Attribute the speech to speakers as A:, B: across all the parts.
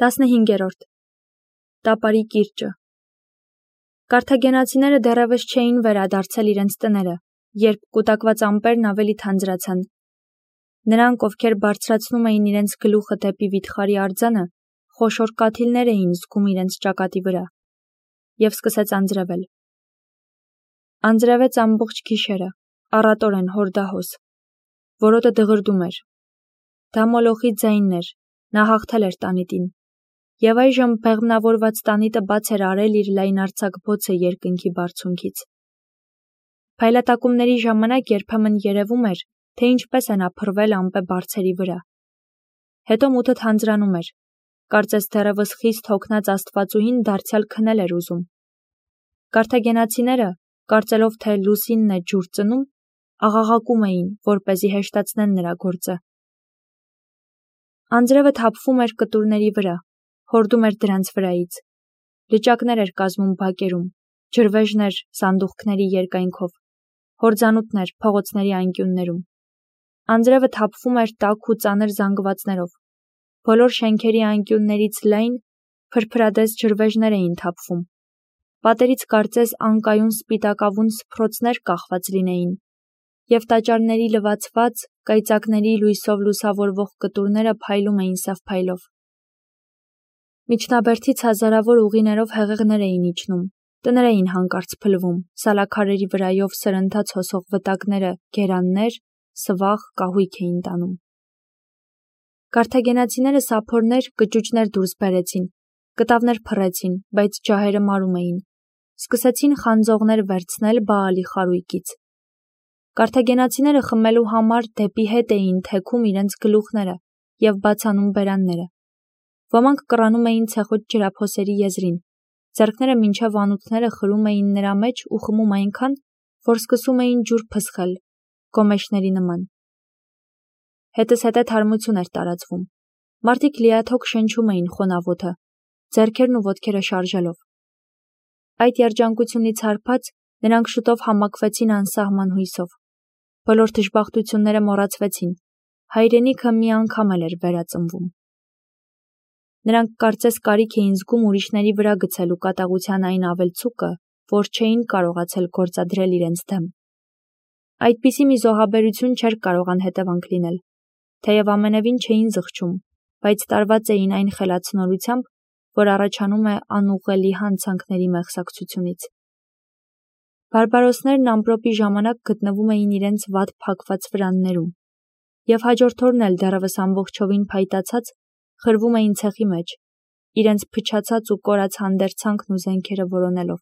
A: 15-րդ Տապարի կիրճը Կարթագենացիները դեռևս չէին վերադարձել իրենց տները, երբ կուտակված ամպերն ավելի թանձրացան։ Նրանք, ովքեր բարձրացնում էին իրենց գլուխը դեպի վիթխարի արձանը, խոշոր կաթիլներ էին զգում իրենց ճակատի վրա, և սկսեց անձրևել։ Անձրևեց ամբողջ գիշերը, առատորեն հորդահոս։ Որոտը դղրդում էր։ Դա Մոլոխի ձայնն էր, նա հաղթել էր տանիտին։ Եվ այժմ բեղմնավորված տանիտը բաց էր արել իր լայնարձակ բոցը երկնքի բարձունքից։ Փայլատակումների ժամանակ երբեմն երևում էր, թե ինչպես է նա փռվել ամպե բարձերի վրա։ Հետո մութը թանձրանում էր, կարծես դեռևս խիստ հոգնած աստվածուհին դարձյալ քնել էր ուզում։ Կարթագենացիները, կարծելով թե լուսինն է ջուր ծնում, աղաղակում էին, որպեսզի հեշտացնեն նրա գործը։ Անձրևը թափվում էր կտուրների վրա, հորդում էր դրանց վրայից։ Լճակներ էր կազմում բակերում, ջրվեժներ սանդուղքների երկայնքով, հորձանուտներ փողոցների անկյուններում։ Անձրևը թափվում էր տաք ու ծանր զանգվածներով։ Բոլոր շենքերի անկյուններից լայն, փրփրադես ջրվեժներ էին թափվում։ Պատերից կարծես անկայուն սպիտակավուն սփռոցներ կախված լինեին, և տաճարների լվացված, կայծակների լույսով լուսավորվող կտուրները փայլում էին սև փայլով։ Միջնաբերդից հազարավոր ուղիներով հեղեղներ էին իջնում, տներ էին հանկարծ փլվում, սալաքարերի վրայով սրընթաց հոսող վտակները գերաններ, սվաղ, կահույք էին տանում։ Կարթագենացիները սափորներ, կճուճներ դուրս բերեցին, կտավներ փռեցին, բայց ջահերը մարում էին։ Սկսեցին խանձողներ վերցնել Բաալի խարույկից։ Կարթագենացիները խմելու համար դեպի հետ էին թեքում իրենց գլուխները և բացանում բերանները։ Ոմանք կռանում էին ցեխոտ ջրափոսերի եզրին, ձեռքները մինչև անոթները խրում էին նրա մեջ ու խմում այնքան, որ սկսում էին ջուր փսխել, գոմեշների նման։ Հետզհետե թարմություն էր տարածվում։ Մարդիկ լիաթոք շնչում էին խոնավոթը, ձեռքերն ու ոտքերը շարժելով։ Այդ երջանկությունից հարբած, նրանք շուտով համակվեցին անսահման հույսով։ Բոլոր դժբախտությունները մոռացվեցին, հայրենիքը մի անգամ էլ էր վերածնվում։ Նրանք կարծես կարիք էին զգում ուրիշների վրա գցելու կատաղության այն ավելցուկը, որ չէին կարողացել գործադրել իրենց դեմ։ Այդպիսի մի զոհաբերություն չէր կարող անհետևանք լինել, թեև ամենևին չէին զղջում, բայց տարված էին այն խելացնորությամբ, որ առաջանում է անուղղելի հանցանքների մեղսակցությունից։ Բարբարոսներն ամպրոպի ժամանակ գտնվում էին իրենց վատ փակված վրաններում, և հաջորդ օրն էլ դեռևս ամբողջովին փայտացած խրվում էին ցեխի մեջ, իրենց փչացած ու կորած հանդերձանքն ու զենքերը որոնելով։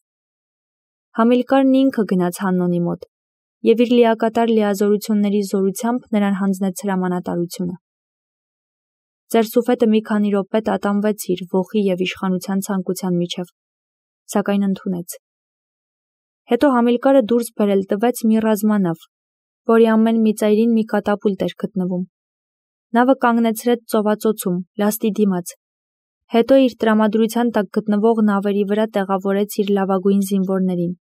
A: Համիլկարն ինքը գնաց Հաննոնի մոտ և իր լիակատար լիազորությունների զորությամբ նրան հանձնեց հրամանատարությունը։ Ձեր սուֆետը մի քանի րոպե տատանվեց իր ոխի և իշխանության ցանկության միջև, սակայն ընդունեց։ Հետո Համիլկարը դուրս բերել տվեց մի ռազմանավ, որի ամեն մի ծայրին մի կատապուլտ էր գտնվում։ Նավը կանգնեցրեց ծովածոցում, լաստի դիմաց։ Հետո իր տրամադրության տակ գտնվող նավերի վրա տեղավորեց իր լավագույն զինվորներին։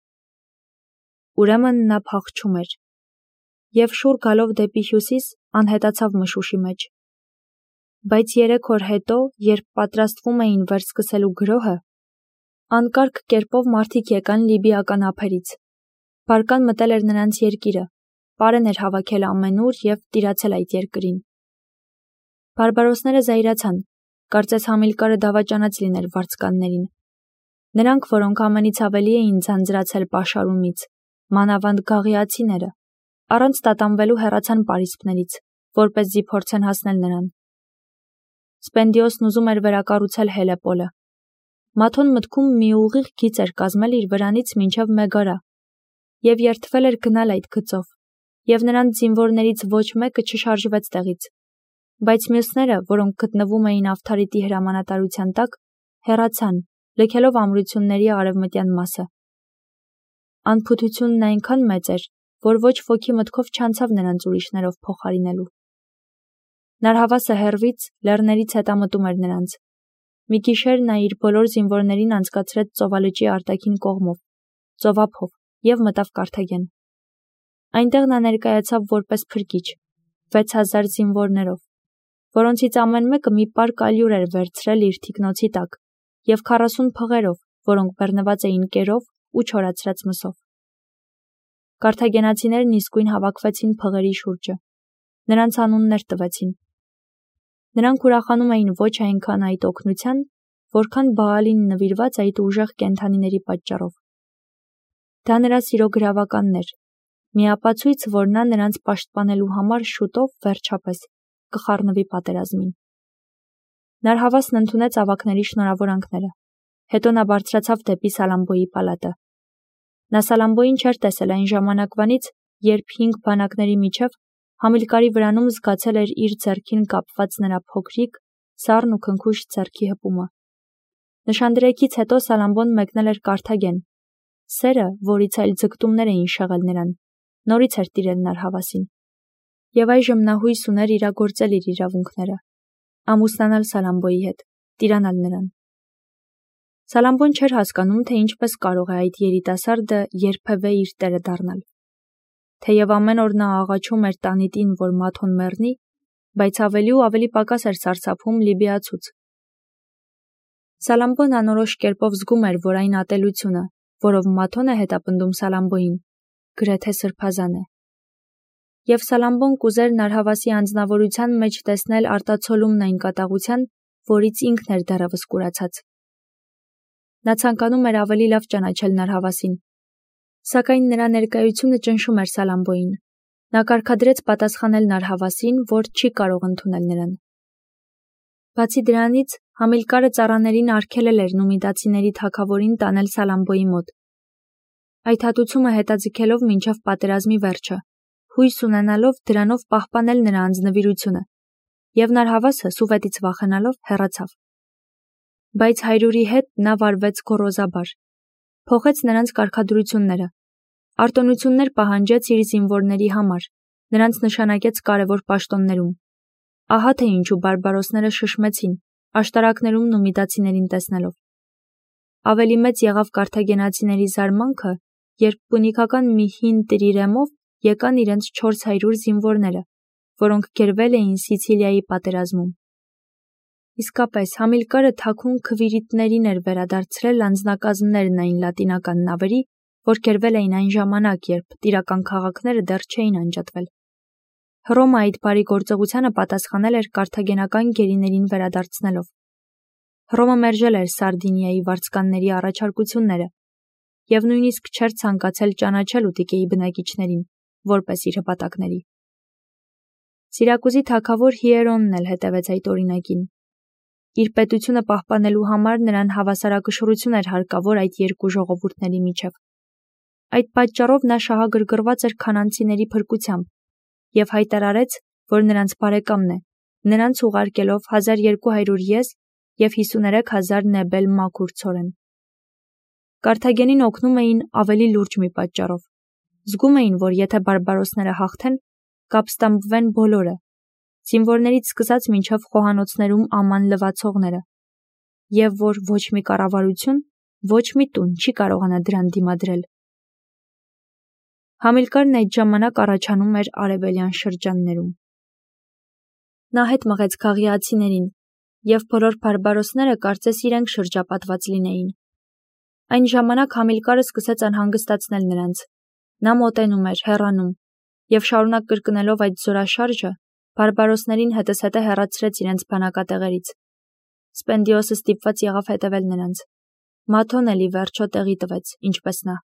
A: Ուրեմն նա փախչում էր։ Եվ շուռ գալով դեպի հյուսիս, անհետացավ մշուշի մեջ։ Բայց 3 օր հետո, երբ պատրաստվում էին վերսկսելու գրոհը, անկարգ կերպով մարդիկ եկան լիբիական ափերից։ Բարկան մտել էր նրանց երկիրը, պարեն էր հավաքել ամենուր և տիրացել այդ երկրին։ Բարբարոսները զայրացան, կարծես Համիլկարը դավաճանած լիներ վարձկաններին։ Նրանք, որոնք ամենից ավելի էին ձանձրացել պաշարումից, մանավանդ գաղիացիները, առանց տատանվելու հեռացան պարիսպներից, որպեսզի փորձեն հասնել նրան։ Սպենդիոսն ուզում էր վերակառուցել Հելեպոլը։ Մաթոն մտքում մի ուղիղ գիծ էր կազմել իր վրանից մինչև Մեգարա և երդվել էր գնալ այդ գծով, և նրանց զինվորներից ոչ մեկը չշարժվեց տեղից։ Բայց մյուսները, որոնք գտնվում էին Ավթարիտի հրամանատարության տակ, հեռացան, լքելով ամրությունների արևմտյան մասը։ Անփութությունն այնքան մեծ էր, որ ոչ ոքի մտքով չանցավ նրանց ուրիշներով փոխարինելու։ Նարհավասը հեռվից, լեռներից հետամտում էր նրանց։ Մի գիշեր նա իր բոլոր զինվորներին անցկացրեց ծովալճի արտաքին կողմով, ծովափով, և մտավ Կարթագեն։ Այնտեղ նա ներկայացավ որպես փրկիչ, 6000 զինվորներով, որոնցից ամեն մեկը մի պար կալյուր էր վերցրել իր թիկնոցի տակ և 40 փղերով, որոնք բեռնված էին կերով ու չորացրած մսով։ Կարթագենացիներն իսկույն հավաքվեցին փղերի շուրջը։ Նրանց անուններ տվեցին։ Նրանք ուրախանում էին ոչ այնքան այդ օգնության, որքան Բաալին նվիրված այդ ուժեղ կենդանիների պատճառով։ Դա նրա սիրո գրավականն էր, մի ապացույց, որ նա նրանց պաշտպանելու համար շուտով, վերջապես, կխառնվի պատերազմին։ Նարհավասն ընդունեց ավագների շնորհավորանքները։ Հետո նա բարձրացավ դեպի Սալամբոյի պալատը։ Նա Սալամբոյին չէր տեսել այն ժամանակվանից, երբ 5 բանակների միջև Համիլկարի վրանում զգացել էր իր ձեռքին կապված նրա փոքրիկ, սառն ու քնքուշ ձեռքի հպումը։ Նշանդրեքից հետո Սալամբոն մեկնել էր Կարթագեն։ Սերը, որից այլ ձգտումներ էին շեղել նրան, նորից էր տիրել Նարհավասին։ Եվ այժմ նա հույս ուներ իրագործել իր իրավունքները, ամուսնանալ Սալամբոյի հետ, տիրանալ նրան։ Սալամբոն չէր հասկանում, թե ինչպես կարող է այդ երիտասարդը երբևէ իր տերը դառնալ։ Թեև ամեն օր նա աղաչում էր տանիտին, որ Մաթոն մեռնի, բայց ավելի ու ավելի պակաս էր սարսափում լիբիացուց։ Սալամբոն անորոշ կերպով զգում էր, որ այն ատելությունը, որով Մաթոն է հետապնդում Սալամբոյին, գրեթե սրբազան է։ Եվ Սալամբոն կուզեր Նարհավասի անձնավորության մեջ տեսնել արտացոլումն այն կատաղության, որից ինքն էր դեռևս կուրացած։ Նա ցանկանում էր ավելի լավ ճանաչել Նարհավասին, սակայն նրա ներկայությունը ճնշում էր Սալամբոյին։ Նա կարգադրեց պատասխանել Նարհավասին, որ չի կարող ընդունել նրան։ Բացի դրանից, Համիլկարը ծառաներին արգելել էր նումիդացիների թագավորին տանել Սալամբոյի մոտ, այդ հատուցումը հետաձգելով մինչև պատերազմի վերջը, հույս ունենալով դրանով պահպանել նրա անձնվիրությունը, և Նարհավասը, սուվետից վախենալով, հեռացավ։ Բայց հայրուրի հետ նա վարվեց գոռոզաբար, փոխեց նրանց կարգադրությունները, արտոնություններ պահանջեց իր զինվորների համար, նրանց նշանակեց կարևոր պաշտոններում։ Ահա թե ինչու բարբարոսները շշմեցին, աշտարակներում նումիդացիներին տեսնելով։ Ավելի մեծ եղավ կարթագենացիների զարմանքը, երբ պունիկական մի հին տրիրեմով եկան իրենց 400 զինվորները, որոնք գերվել էին Սիցիլիայի պատերազմում։ Իսկապես, Համիլկարը թաքուն քվիրիտներին էր վերադարձրել անձնակազմներն այն լատինական նավերի, որ գերվել էին այն ժամանակ, երբ տիրական քաղաքները դեռ չէին անջատվել։ Հռոմը այդ բարի գործողությանը պատասխանել էր կարթագենական գերիներին վերադարձնելով։ Հռոմը մերժել էր Սարդինիայի վարձկանների առաջարկությունները և նույնիսկ չէր ցանկացել ճանաչել Ուտիկեի բնակիչներին, որպես իր հպատակների։ Սիրակուզի թագավոր Հիերոնն էլ հետևեց այդ օրինակին։ Իր պետությունը պահպանելու համար նրան հավասարակշռություն էր հարկավոր այդ երկու ժողովուրդների միջև։ Այդ պատճառով նա շահագրգռված էր քանանցիների փրկությամբ և հայտարարեց, որ նրանց բարեկամն է, նրանց ուղարկելով 1200 ես և 53,000 նեբել մաքուր ցորեն։ Կարթագենին օգնում էին ավելի լուրջ մի պատճառով։ Զգում էին, որ եթե բարբարոսները հաղթեն, կապստամբվեն բոլորը, զինվորներից սկսած մինչև խոհանոցներում աման լվացողները, և որ ոչ մի կառավարություն, ոչ մի տուն չի կարողանա դրան դիմադրել։ Համիլկարն այդ ժամանակ առաջանում էր արևելյան շրջաններում։ Նա հետ մղեց գաղիացիներին, և բոլոր բարբարոսները կարծես իրենք շրջապատված լինեին։ Այն ժամանակ Համիլկարը սկսեց անհանգստացնել նրանց։ Նա մոտենում էր, հեռանում, և շարունակ կրկնելով այդ զորաշարժը, բարբարոսներին հետզհետե հեռացրեց իրենց բանակատեղերից։ Սպենդիոսը ստիպված եղավ հետևել նրանց։ Մաթոն էլ ի վերջո տեղի տվեց, ինչպես նա։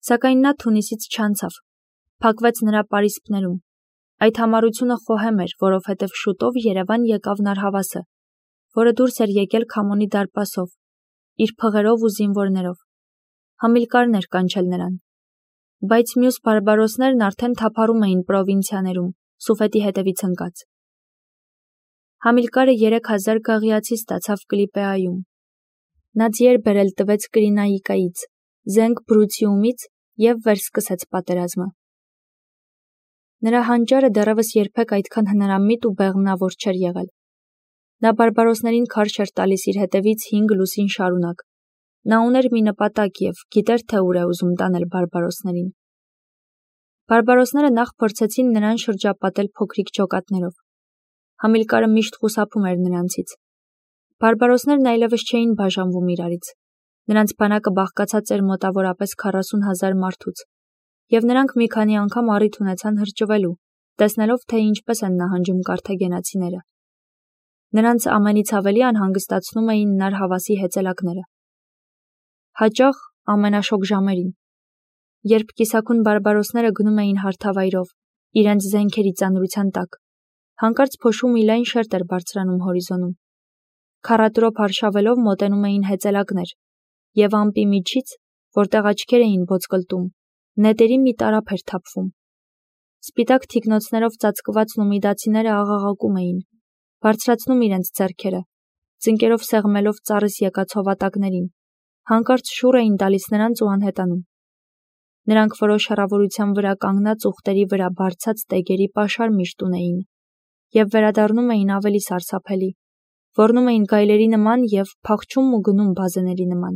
A: Սակայն նա Թունիսից չանցավ, փակվեց նրա պարիսպներում։ Այդ համառությունը խոհեմ էր, որովհետև շուտով Երևան եկավ Նարհավասը, որը դուրս էր եկել Քամոնի դարպասով, իր փղերով ու զինվորներով։ Համիլկարն էր կանչել նրան։ Բայց մյուս բարբարոսներն արդեն թափառում էին պրովինցիաներում, Սուֆետի հետևից ընկած։ Համիլկարը 3000 գաղիացի ստացավ Կլիպեայում։ Նա ձիեր բերել տվեց Կրինաիկայից, զենք Բրուցիումից և վերսկսեց պատերազմը։ Նրա հանճարը դեռևս երբեք այդքան հնարամիտ ու բեղմնավոր չէր եղել։ Նա բարբարոսներին քարշ էր տալիս իր հետևից 5 լուսին շարունակ։ Նա ուներ մի նպատակ և գիտեր, թե ուր է ուզում տանել բարբարոսներին։ Բարբարոսները նախ փորձեցին նրան շրջապատել փոքրիկ ջոկատներով։ Համիլկարը միշտ խուսափում էր նրանցից։ Բարբարոսներն այլևս չէին բաժանվում իրարից։ Նրանց բանակը բաղկացած էր մոտավորապես 40,000 մարդուց, և նրանք մի քանի անգամ առիթ ունեցան հրճվելու, տեսնելով, թե ինչպես են նահանջում կարթագենացիները։ Նրանց ամենից ավելի անհանգստացնում էին նար հավասի հեծելակները։ Հաճախ ամենաշոգ ժամերին, երբ կիսաքուն բարբարոսները գնում էին հարթավայրով, իրենց զենքերի ծանրության տակ, հանկարծ փոշու մի լայն շերտ էր բարձրանում հորիզոնում։ Քառատրոփ արշավելով մոտենում էին հեծելակներ, և ամպի միջից, որտեղ աչքեր էին ոսկլտում, նետերի մի տարափ էր թափվում։ Սպիտակ թիկնոցներով ծածկված նումիդացիները աղաղակում էին, բարձրացնում իրենց ձեռքերը, ծնկերով սեղմելով ծառից եկած հովատակներին, հանկարծ շուռ էին տալիս նրանց ու անհետանում։ Նրանք որոշ հեռավորության վրա կանգնած ուղտերի վրա բարձած տեգերի պաշար միշտ ունեին, և վերադառնում էին ավելի սարսափելի, ոռնում էին գայլերի նման և փախչում ու գնում բազեների նման։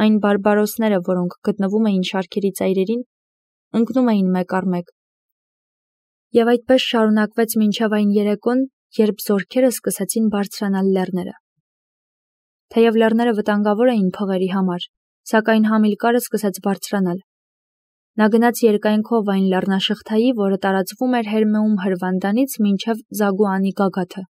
A: Այն բարբարոսները, որոնք գտնվում էին շարքերի ծայրերին, ընկնում էին մեկ առ մեկ։ Եվ այդպես շարունակվեց մինչև այն երեկոն, երբ զորքերը սկսեցին բարձրանալ լեռները։ Թեև լեռները վտանգավոր էին փղերի համար, սակայն Համիլկարը սկսեց բարձրանալ։ Նա գնաց երկայնքով այն լեռնաշղթայի, որը տարածվում էր Հերմեում հրվանդանից մինչև Զագուանի գագաթը։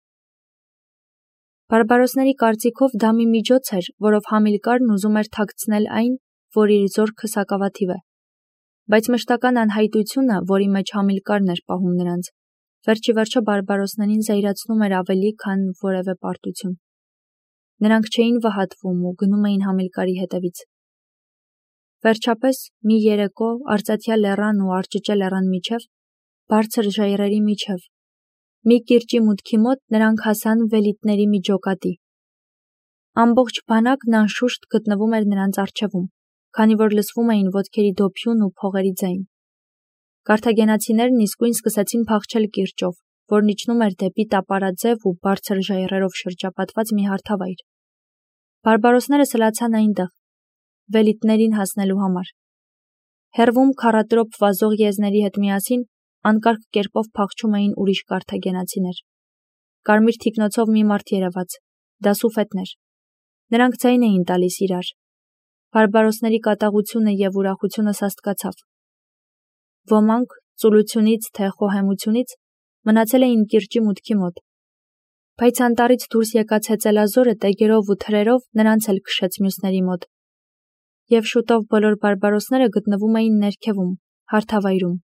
A: Բարբարոսների կարծիքով դա մի միջոց էր, որով Համիլկարն ուզում էր թաքցնել այն, որ իր զորքը սակավաթիվ է։ Բայց մշտական անհայտությունը, որի մեջ Համիլկարն էր պահում նրանց, վերջիվերջո բարբարոսներին զայրացնում էր ավելի, քան որևէ պարտություն։ Նրանք չէին վհատվում ու գնում էին Համիլկարի հետևից։ Վերջապես, մի երեկո Արծաթյա լեռան ու Արջճե լեռան միջև, բարձր ժայռերի միջև, մի կիրճի մուտքի մոտ նրանք հասան վելիտների մի ջոկատի։ Ամբողջ բանակն անշուշտ գտնվում էր նրանց առջևում, քանի որ լսվում էին ոտքերի դոփյուն ու փողերի ձայն։ Կարթագենացիներն իսկույն սկսեցին փախչել կիրճով, որն իջնում էր դեպի տապարաձև ու բարձր ժայռերով շրջապատված մի հարթավայր։ Բարբարոսները սլացան այնտեղ, վելիտներին հասնելու համար։ Հեռվում քառատրոփ վազող եզների հետ միասին անկարգ կերպով փախչում էին ուրիշ կարթագենացիներ։ Կարմիր թիկնոցով մի մարդ երևաց, դա Սուֆետն էր։ Նրանք ձայն էին տալիս իրար։ Բարբարոսների կատաղությունը և ուրախությունը սաստկացավ։ Ոմանք, ծուլությունից թե խոհեմությունից, մնացել էին կիրճի մուտքի մոտ։ Բայց անտառից դուրս եկած հեծելազորը տեգերով ու թրերով նրանց էլ քշեց մյուսների մոտ։ Եվ շուտով բոլոր բարբարոսները գտնվում էին ներքևում, հարթավայրում։